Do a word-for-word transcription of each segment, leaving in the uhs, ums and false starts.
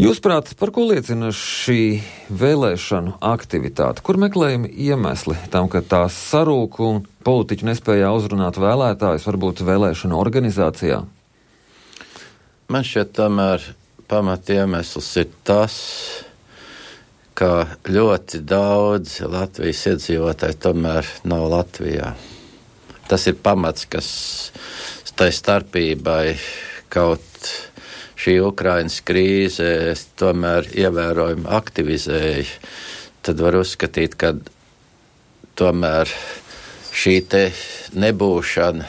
Jūsuprāt, par ko liecina šī vēlēšanu aktivitāte? Kur meklējami iemesli tam, ka tās sarūk un politiķi nespēja uzrunāt vēlētājus, varbūt vēlēšanu organizācijā? Man šķiet, tomēr pamat iemesls ir tas, ka ļoti daudz Latvijas iedzīvotāji tomēr nav Latvijā. Tas ir pamats, kas tai starpībai kaut šī Ukrainas krīze tomēr ievērojami aktivizēja, tad var uzskatīt, ka tomēr šī te nebūšana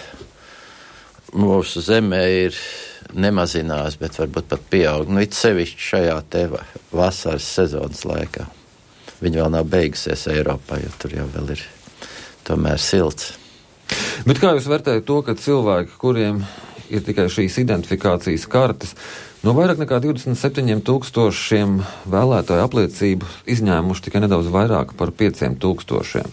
mūsu zemē ir nemazinās, bet varbūt pat pieaug. Nu, it sevišķi šajā te vasaras sezonas laikā. Viņa vēl nav beigusies Eiropā, jo tur jau vēl ir tomēr silts. Bet kā jūs vērtējat to, ka cilvēki, kuriem ir tikai šīs identifikācijas kartes, no vairāk nekā divdesmit septiņiem tūkstošiem vēlētāju apliecību izņēmuši tikai nedaudz vairāk par pieciem tūkstošiem?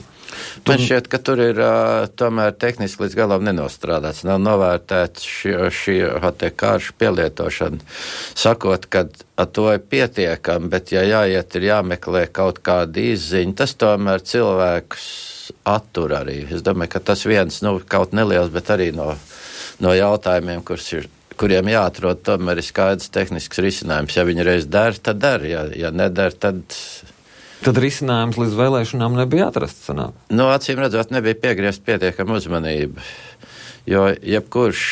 Tur... Man šķiet, ka tur ir uh, tomēr tehniski līdz galam nenostrādāts, nav novērtēts šī, šī te kāršu pielietošana, sakot, ka ar to ir pietiekami, bet ja jāiet, ir jāmeklē kaut kāda izziņa, tas tomēr cilvēkus attur arī. Es domāju, ka tas viens, nu, kaut neliels, bet arī no no jautājumiem, ir, kuriem jāatrod, tomēr ir skaidrs tehnisks risinājums. Ja viņi reiz der, tad der, ja, ja neder, tad... Tad risinājums līdz vēlēšanām nebija atrasts, sanāk? No acīm redzot, nebija piegriezt pietiekama uzmanība, jo jebkurš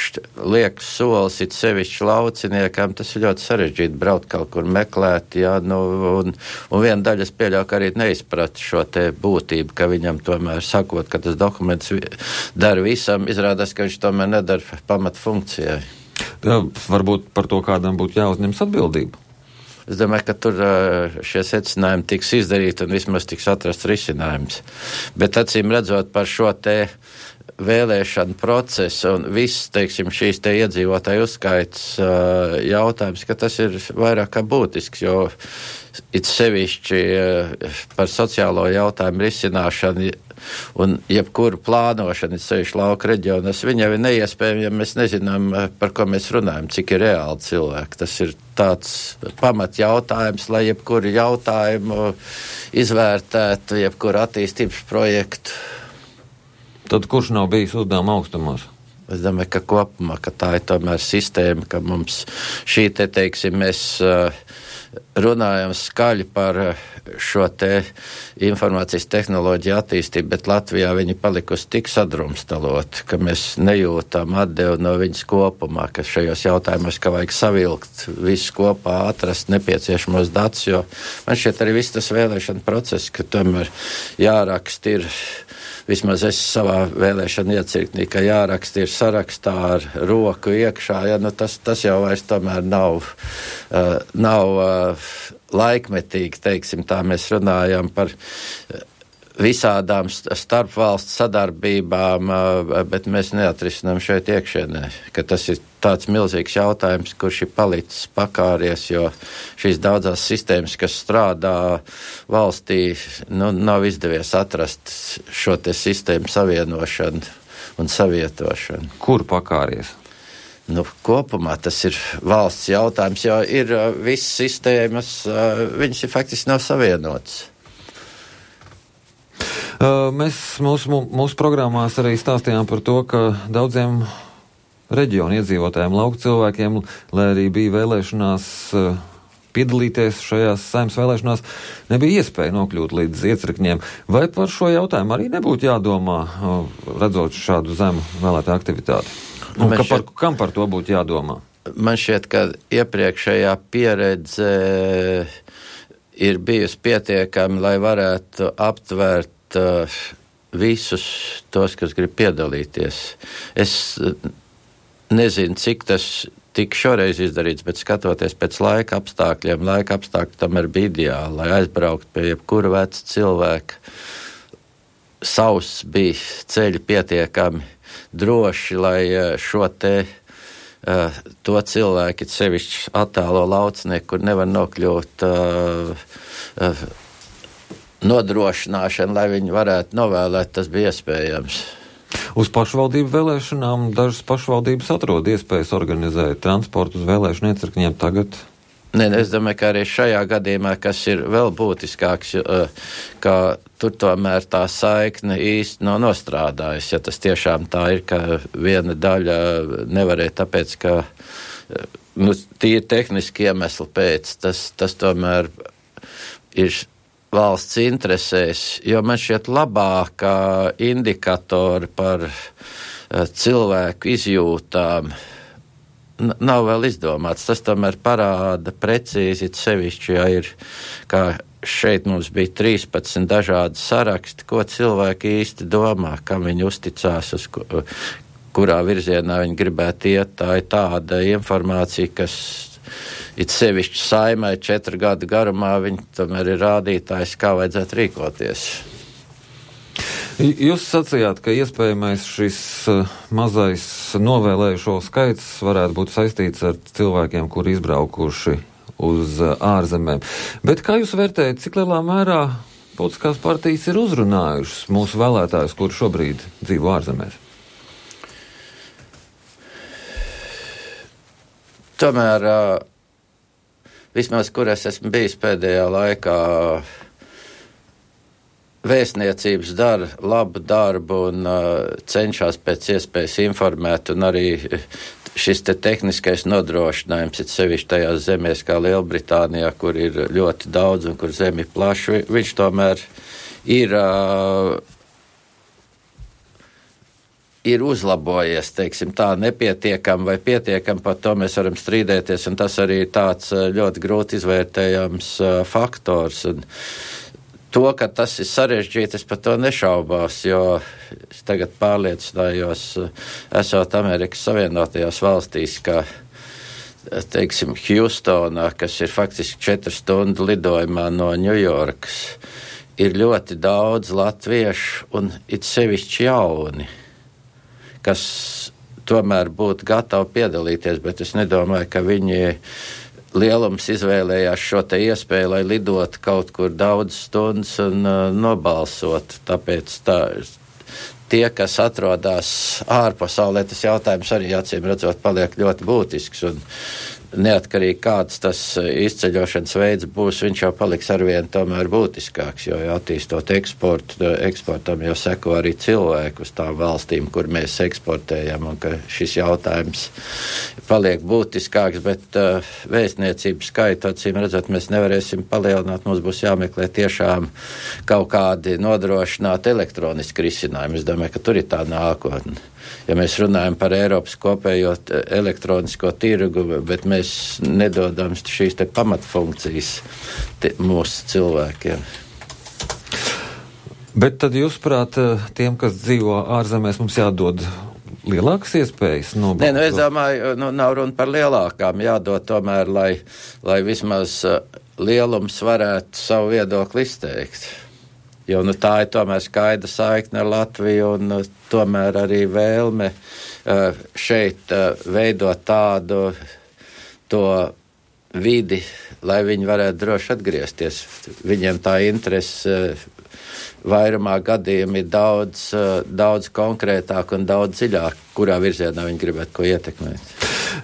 liekas solis it sevišķi lauciniekam, tas ir ļoti sarežģīti braukt kaut kur meklēt, jā, nu, un, un viena daļa es pieļauju, ka arī neizprat šo te būtību, ka viņam tomēr sakot, ka tas dokuments dara visam, izrādās, ka viņš tomēr nedara pamat funkcijai. Jā, varbūt par to kādam būtu jāuzņems atbildību. Es domāju, ka tur šie secinājumi tiks izdarīti un vismaz tiks atrasts risinājums. Bet acīm redzot par šo te vēlēšanu procesu un viss, teiksim, šīs te iedzīvotāju uzskaits uh, jautājums, ka tas ir vairāk kā būtisks, jo it sevišķi uh, par sociālo jautājumu risināšanu un jebkuru plānošanu, it sevišķi lauka reģionas, viņam ir neiespējami, ja mēs nezinām, par ko mēs runājam, cik ir reāli cilvēki. Tas ir tāds pamat jautājums, lai jebkuru jautājumu izvērtētu, jebkuru attīstības projektu. Tad kurš nav bijis uzdevuma augstumos? Es domāju, ka kopumā, ka tā ir tomēr sistēma, ka mums šī te, teiksim, mēs uh, runājam skaļi par šo te informācijas tehnoloģiju attīstību, bet Latvijā viņi palikusi tik sadrumstalot, ka mēs nejūtam atdevu no viņas kopumā, ka šajos jautājumos, ka vajag savilkt visu kopā, atrast nepieciešamos datus, jo man šķiet arī viss tas vēlēšana process, ka tomēr jārakst ir, vismaz es savā vēlēšana iecirknī, ka jāraksta ir sarakstā ar roku iekšā, ja, nu tas, tas jau vairs tomēr nav, uh, nav uh, laikmetīgi, teiksim, tā mēs runājam par visādām starpvalstu sadarbībām, uh, bet mēs neatrisinām šeit iekšienē, ka tas ir tāds milzīgs jautājums, kurš ir palicis pakāries, jo šīs daudzās sistēmas, kas strādā valstī, nu, nav izdevies atrast šo te sistēmu savienošanu un savietošanu. Kur pakāries? Nu, kopumā tas ir valsts jautājums, jo ir uh, visas sistēmas, uh, viņas ir faktiski nav savienotas. Uh, mēs mūsu, mūsu programmās arī stāstījām par to, ka daudziem reģionu iedzīvotājiem, lauku cilvēkiem, lai arī bija vēlēšanās uh, piedalīties šajās saimnes vēlēšanās, nebija iespēja nokļūt līdz iecirkņiem. Vai par šo jautājumu arī nebūtu jādomā, uh, redzot šādu zemu vēlētāju aktivitāti? Un ka par, kam par to būtu jādomā? Man šķiet, ka iepriekšējā pieredze ir bijusi pietiekami, lai varētu aptvērt uh, visus tos, kas grib piedalīties. Es nezinu, cik tas tika šoreiz izdarīts, bet skatoties pēc laika apstākļiem, laika apstākļi tomēr bija ideāli, lai aizbraukt pie jebkura veca cilvēka. Sauss bija ceļi pietiekami droši, lai šo te uh, to cilvēki, sevišķi attālo laucinieku, kur nevar nokļūt uh, uh, nodrošināšanu, lai viņi varētu novēlēt, tas bija iespējams. Uz pašvaldību vēlēšanām dažas pašvaldības atrod iespējas organizēt transportu uz vēlēšanu iecirkņiem. Tagad Nē, es domāju, ka arī šajā gadījumā, kas ir vēl būtiskāks, ka tur tomēr tā saikne īsti nav nostrādājusi. Ja tas tiešām tā ir, ka viena daļa nevarēja tāpēc, ka nu, tīri tehniski iemesli pēc, tas, tas tomēr ir valsts interesēs, jo man šķiet labākā indikatori par cilvēku izjūtām nav vēl izdomāts. Tas tomēr parāda precīzi, sevišķi, ja ir, kā šeit mums bija trīspadsmit dažādi saraksti, ko cilvēki īsti domā, kam viņi uzticās, uz kurā virzienā viņi gribētu iet. Tā ir tāda informācija, kas it sevišķi Saimai četru gadu garumā, viņi tomēr ir rādītājs, kā vajadzētu rīkoties. Jūs sacījāt, ka iespējamais šis mazais novēlējušo skaits varētu būt saistīts ar cilvēkiem, kuri izbraukuši uz ārzemēm. Bet kā jūs vērtējat, cik lielā mērā politiskās partijas ir uzrunājušas mūsu vēlētājus, kuri šobrīd dzīvo ārzemēs? Tomēr, vismaz, kur es esmu bijis pēdējā laikā, vēstniecības dara labu darbu un uh, cenšas pēc iespējas informēt, un arī šis te tehniskais nodrošinājums, it sevišķi tajās zemēs kā Lielbritānijā, kur ir ļoti daudz un kur zemi plaši, viņš tomēr ir, uh, ir uzlabojies, teiksim tā, nepietiekam vai pietiekam, par to mēs varam strīdēties, un tas arī ir tāds ļoti grūti izvērtējams uh, faktors. Un, To, ka tas ir sarežģīti, es par to nešaubās, jo es tagad pārliecinājos, esot Amerikas Savienotajās valstīs, ka, teiksim, Hjūstonā, kas ir faktiski četru stundu lidojumā no Ņujorkas, ir ļoti daudz latviešu un it sevišķi jauni, kas tomēr būtu gatavi piedalīties, bet es nedomāju, ka viņi lielums izvēlējās šo te iespēju, lai lidot kaut kur daudz stundas un uh, nobalsot. Tāpēc tā, tie, kas atrodas ārpasaulē, tas jautājums arī acīm redzot paliek ļoti būtisks. Un neatkarīgi kāds tas izceļošanas veids būs, viņš jau paliks arvien tomēr būtiskāks, jo attīstot eksportu, eksportam jau seko arī cilvēku uz tām valstīm, kur mēs eksportējam, un ka šis jautājums paliek būtiskāks, bet uh, vēstniecības skaitu, acīm redzot, mēs nevarēsim palielināt, mums būs jāmeklē tiešām kaut kādi nodrošināt elektroniski risinājumi. Es domāju, ka tur ir tā nākotne. Ja mēs runājam par Eiropas kopējo elektronisko tirgu, bet mēs nedodam šīs te pamatfunkcijas te, mūsu cilvēkiem. Bet tad jūs prāt, tiem, kas dzīvo ārzemēs, mums jādod lielākas iespējas nobalsot? Nē, nu es domāju, nu nav runa par lielākām, jādod tomēr, lai, lai vismaz lielums varētu savu viedokli izteikt. Jo nu, tā ir tomēr skaidra saikne ar Latviju un uh, tomēr arī vēlme uh, šeit uh, veidot tādu to vidi, lai viņi varētu droši atgriezties. Viņiem tā interese uh, vairumā gadījumi ir daudz, uh, daudz konkrētāk un daudz dziļāk, kurā virzienā viņi gribētu ko ietekmēt.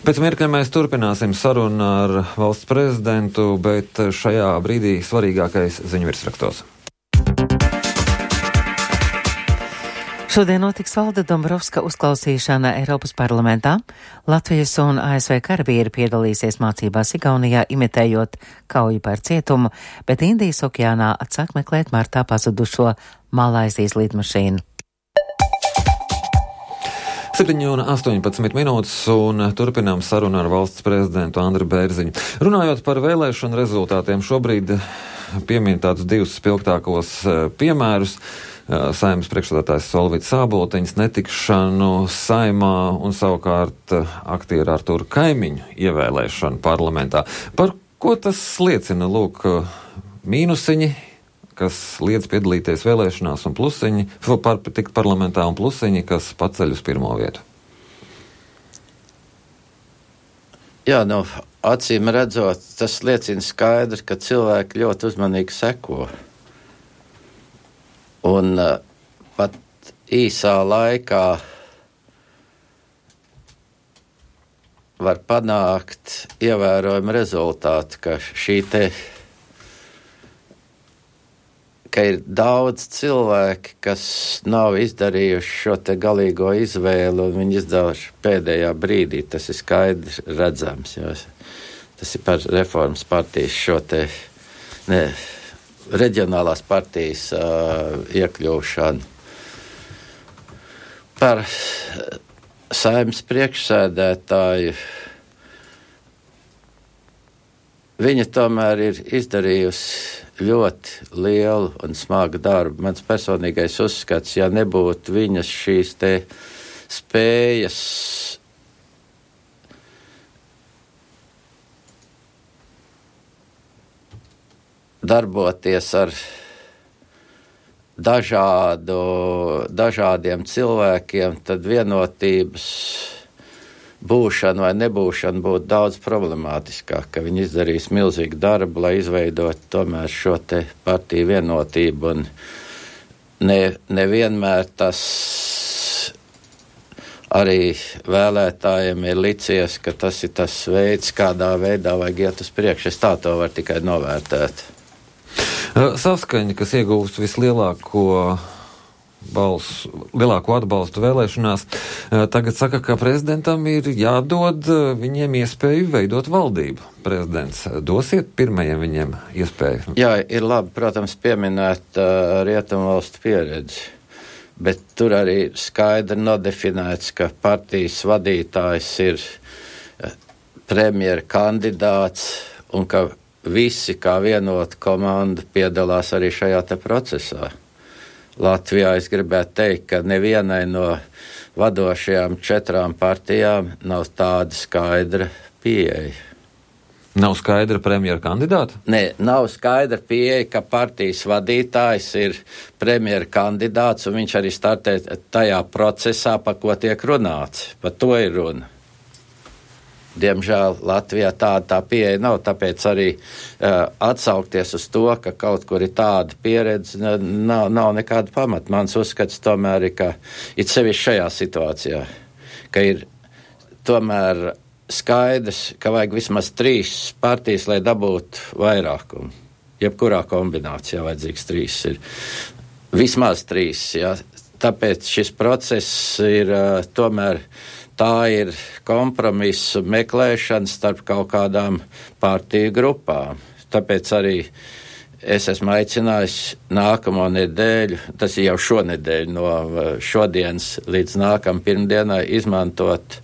Pēc mirkļa mēs turpināsim sarunu ar valsts prezidentu, bet šajā brīdī svarīgākais ziņu virsrakstos. Šodien notiks Valda Dombrovska uzklausīšana Eiropas parlamentā. Latvijas un A S V karavīri piedalīsies mācībās Igaunijā, imitējot kauju par cietumu, bet Indijas okeānā atsāk meklēt martā pazudušo Malaizijas lidmašīnu. septiņi un astoņpadsmit minūtes un turpinām sarunu ar valsts prezidentu Andri Bērziņu. Runājot par vēlēšanu rezultātiem, šobrīd piemin tādus divus spilgtākos piemērus. Saeimas priekšsēdētājs Solvits Āboltiņas netikšanu saimā un savukārt aktieru Artūru Kaimiņu ievēlēšanu parlamentā. Par ko tas liecina? Lūk, mīnusiņi, kas liedz piedalīties vēlēšanās, un plusiņi, par, tikt parlamentā, un plusiņi, kas paceļ uz pirmo vietu. Jā, nu, acīm redzot, tas liecina skaidri, ka cilvēki ļoti uzmanīgi seko. Un uh, pat īsā laikā var panākt ievērojumu rezultātu, ka šī te, ka ir daudz cilvēki, kas nav izdarījuši šo te galīgo izvēlu, un viņi izdāvuši pēdējā brīdī, tas ir skaidrs redzams, jo tas ir par reformas partijas šo te, ne, reģionālās partijas uh, iekļūšanu. Par Saeimas priekšsēdētāju. Viņa tomēr ir izdarījusi ļoti lielu un smagu darbu. Mans personīgais uzskats, ja nebūtu viņas šīs te spējas darboties ar dažādu, dažādiem cilvēkiem, tad vienotības būšana vai nebūšana būtu daudz problemātiskāk, ka viņi izdarīs milzīgu darbu, lai izveidot tomēr šo te partiju vienotību, un ne, nevienmēr tas arī vēlētājiem ir licies, ka tas ir tas veids, kādā veidā vajag iet uz priekšu. Es tā to varu tikai novērtēt. Saskaņa, kas iegūst vislielāko balsu, lielāko atbalstu vēlēšanās, tagad saka, ka prezidentam ir jādod viņiem iespēju veidot valdību. Prezidents, dosiet pirmajiem viņiem iespēju? Jā, ir labi, protams, pieminēt uh, rietumvalstu pieredzi, bet tur arī skaidri nodefinēts, ka partijas vadītājs ir uh, premjera kandidāts un ka visi kā vienota komanda piedalās arī šajā te procesā. Latvijā es gribētu teikt, ka nevienai no vadošajām četrām partijām nav tāda skaidra pieeja. Nav skaidra premjera kandidāta? Nē, nav skaidra pieeja, ka partijas vadītājs ir premjera kandidāts un viņš arī startē tajā procesā, pa ko tiek runāts. Pa to ir runa. Diemžēl Latvijā tāda tā pieeja nav, tāpēc arī uh, atsaukties uz to, ka kaut kur ir tāda pieredze, nav, nav nekāda pamata. Mans uzskats tomēr ir, ka it sevišķi šajā situācijā, ka ir tomēr skaidrs, ka vajag vismaz trīs partijas, lai dabūtu vairākumu. Jebkurā kombinācijā vajadzīgs trīs ir. Vismaz trīs, jā. Tāpēc šis process ir uh, tomēr tā ir kompromisu meklēšana starp kaut kādām partiju grupām. Tāpēc arī es esmu aicinājis nākamo nedēļu, tas ir jau šonedēļ no šodienas līdz nākam pirmdienai, izmantot,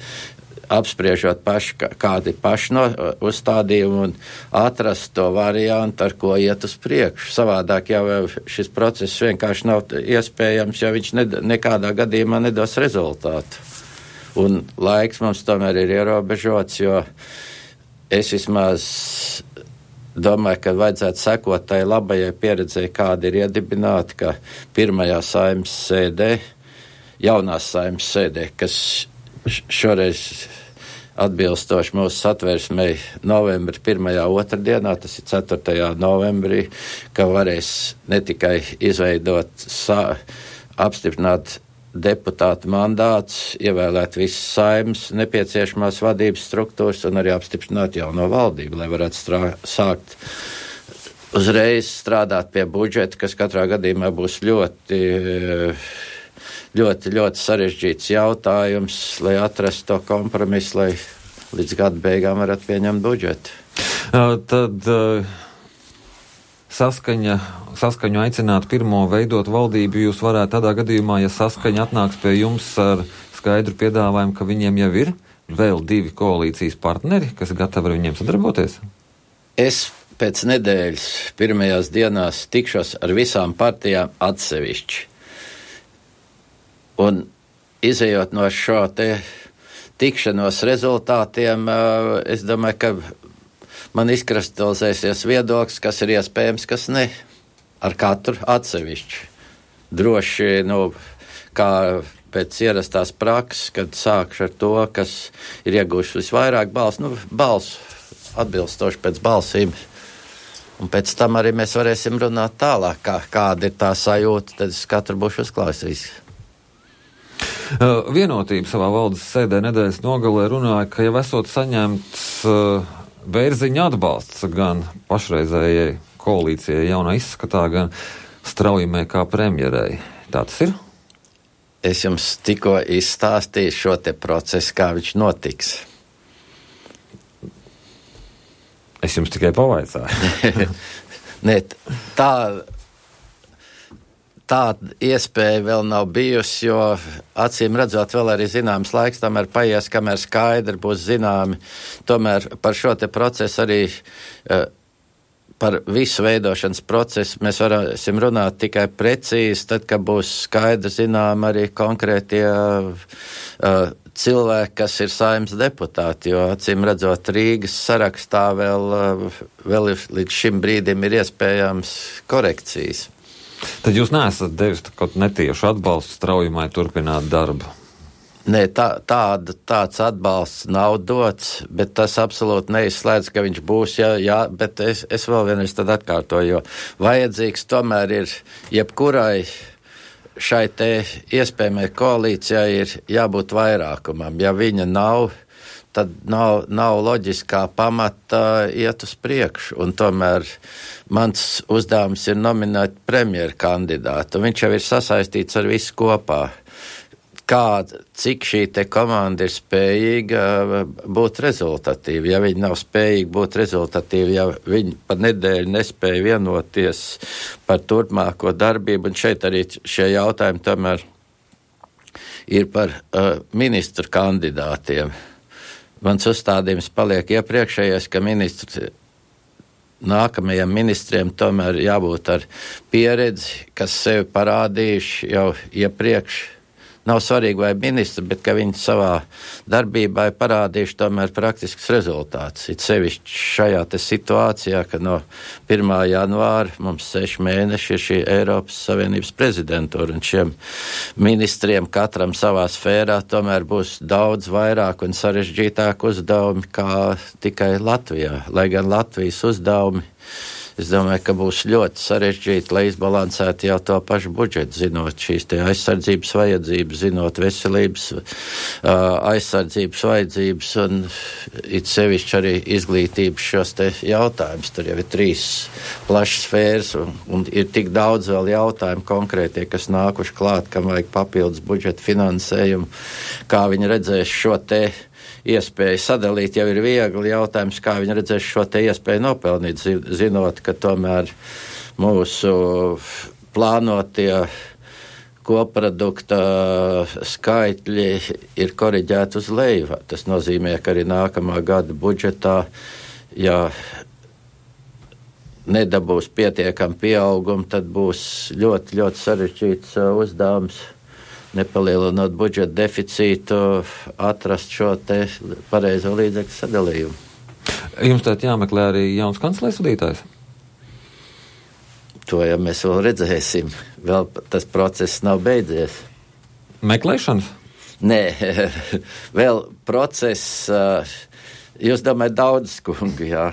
apspriežot paši, kādi paši no uzstādījumi un atrast to variantu, ar ko iet uz priekšu. Savādāk jau šis process vienkārši nav iespējams, jo viņš ne, nekādā gadījumā nedos rezultātu. Un laiks mums tomēr ir ierobežots, jo es vismaz domāju, ka vajadzētu sekot tai labajai pieredzei, kāda ir iedibināta, ka pirmajā Saeimas sēdē, jaunās Saeimas sēdē, kas šoreiz atbilstoši mūsu satversmei novembra pirmajā otrdienā, tas ir ceturtajā novembrī, ka varēs ne tikai izveidot, sa, apstiprināt deputātu mandāts, ievēlēt visas Saeimas nepieciešamās vadības struktūras un arī apstiprināt jauno valdību, lai varētu strā, sākt uzreiz strādāt pie budžeta, kas katrā gadījumā būs ļoti, ļoti, ļoti sarežģīts jautājums, lai atrastu to kompromisu, lai līdz gada beigām varētu pieņemt budžetu. Uh, tad uh, saskaņa Saskaņu aicināt pirmo veidot valdību jūs varētu tādā gadījumā, ja Saskaņa atnāks pie jums ar skaidru piedāvājumu, ka viņiem jau ir vēl divi koalīcijas partneri, kas gatavi ar viņiem sadarboties? Es pēc nedēļas pirmajās dienās tikšos ar visām partijām atsevišķi. Un izejot no šo te tikšanos rezultātiem, es domāju, ka man izkristalizēsies viedoklis, kas ir iespējams, kas ne. Ar katru atsevišķi. Droši, nu, kā pēc ierastās prakses, kad sākšu ar to, kas ir iegūši visvairāk balsu, nu, balsu atbilstoši pēc balsīm. Un pēc tam arī mēs varēsim runāt tālāk, kā, kāda ir tā sajūta, tad es katru būšu uzklausījis. Uh, vienotība savā valdes sēdē nedēļas nogalē runāja, ka jau esot saņemts uh, Bērziņa atbalsts gan pašreizējai koalīcijai jaunā izskatā, gan Straujumai kā premjerei. Tā tas ir? Es jums tikko izstāstīju šo te procesu, kā viņš notiks. Es jums tikai pavaicāju. Nē, tā, tāda iespēja vēl nav bijusi, jo acīm redzot vēl arī zināms laiks, tomēr paies, kamēr skaidri būs zināmi. Tomēr par šo te procesu arī, par visu veidošanas procesu mēs varēsim runāt tikai precīzi, tad, kad būs skaidri zinām arī konkrētie uh, cilvēki, kas ir Saeimas deputāti, jo acīm redzot Rīgas sarakstā vēl, vēl līdz šim brīdim ir iespējams korekcijas. Tad jūs neesat devis kaut netiešu atbalstu Straujumai turpināt darbu? Nē, tā, tāda, tāds atbalsts nav dots, bet tas absolūti neizslēdz, ka viņš būs, jā, jā bet es, es vēl vienreiz tad atkārtoju, jo vajadzīgs tomēr ir jebkurai šai te iespējamai koalīcijai ir jābūt vairākumam. Ja viņa nav, tad nav, nav loģiskā pamata iet uz priekšu. Un tomēr mans uzdevums ir nominēt premjeru kandidātu. Viņš jau ir sasaistīts ar visu kopā. Kā, cik šī te komanda ir spējīga būt rezultatīva. Ja viņi nav spējīgi būt rezultatīvi, ja viņi par nedēļu nespēja vienoties par turpmāko darbību, un šeit arī šie jautājumi tomēr ir par uh, ministru kandidātiem. Mans uzstādījums paliek iepriekšējais, ka ministrs nākamajiem ministriem tomēr jābūt ar pieredzi, kas sevi parādījuši jau iepriekš. Nav svarīgi vai ministri, bet ka viņi savā darbībā ir parādījuši tomēr praktisks rezultāts. It sevišķi šajā te situācijā, ka no pirmā janvāra mums seši mēneši ir šī Eiropas Savienības prezidentūra, un šiem ministriem katram savā sfērā tomēr būs daudz vairāk un sarežģītāk uzdevumi kā tikai Latvijā. Lai gan Latvijas uzdevumi, es domāju, ka būs ļoti sarežģīti, lai izbalansētu jau to pašu budžetu, zinot šīs te aizsardzības vajadzības, zinot veselības uh, aizsardzības vajadzības un it sevišķi arī izglītības šos te jautājumus. Tur jau ir trīs plašas sfēras un, un ir tik daudz vēl jautājumu konkrētie, kas nākuši klāt, kam vajag papildus budžeta finansējumu, kā viņi redzēs šo te iespēju sadalīt, jau ir viegli jautājums, kā viņi redzēs šo te iespēju nopelnīt, zinot, ka tomēr mūsu plānotie koprodukta skaitļi ir koriģēti uz leju. Tas nozīmē, ka arī nākamā gada budžetā, ja nedabūs pietiekam pieaugumu, tad būs ļoti, ļoti sarežģīts uzdevums, nepalielinot budžeta deficītu, atrast šo te pareizo līdzekļu sadalījumu. Jums tātad jāmeklē arī jauns kanclers vadītājs? To jau mēs vēl redzēsim. Vēl tas process nav beidzies. Meklēšanas? Nē, vēl process, jūs domājat daudz skungu, jā.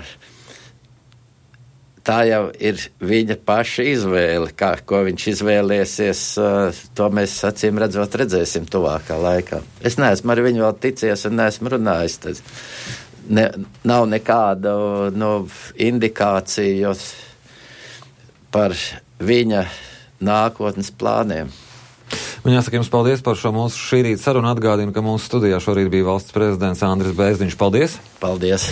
Tā jau ir viņa paša izvēle, kā, ko viņš izvēlēsies, to mēs acīm redzot redzēsim tuvākā laikā. Es neesmu ar viņu vēl ticies un neesmu runājis. Tad ne, nav nekāda no, indikācija par viņa nākotnes plāniem. Un jāsaka jums paldies par šo mūsu šī rīta sarunu. Atgādinu, ka mūsu studijā šorīt bija valsts prezidents Andris Bērziņš. Paldies! Paldies!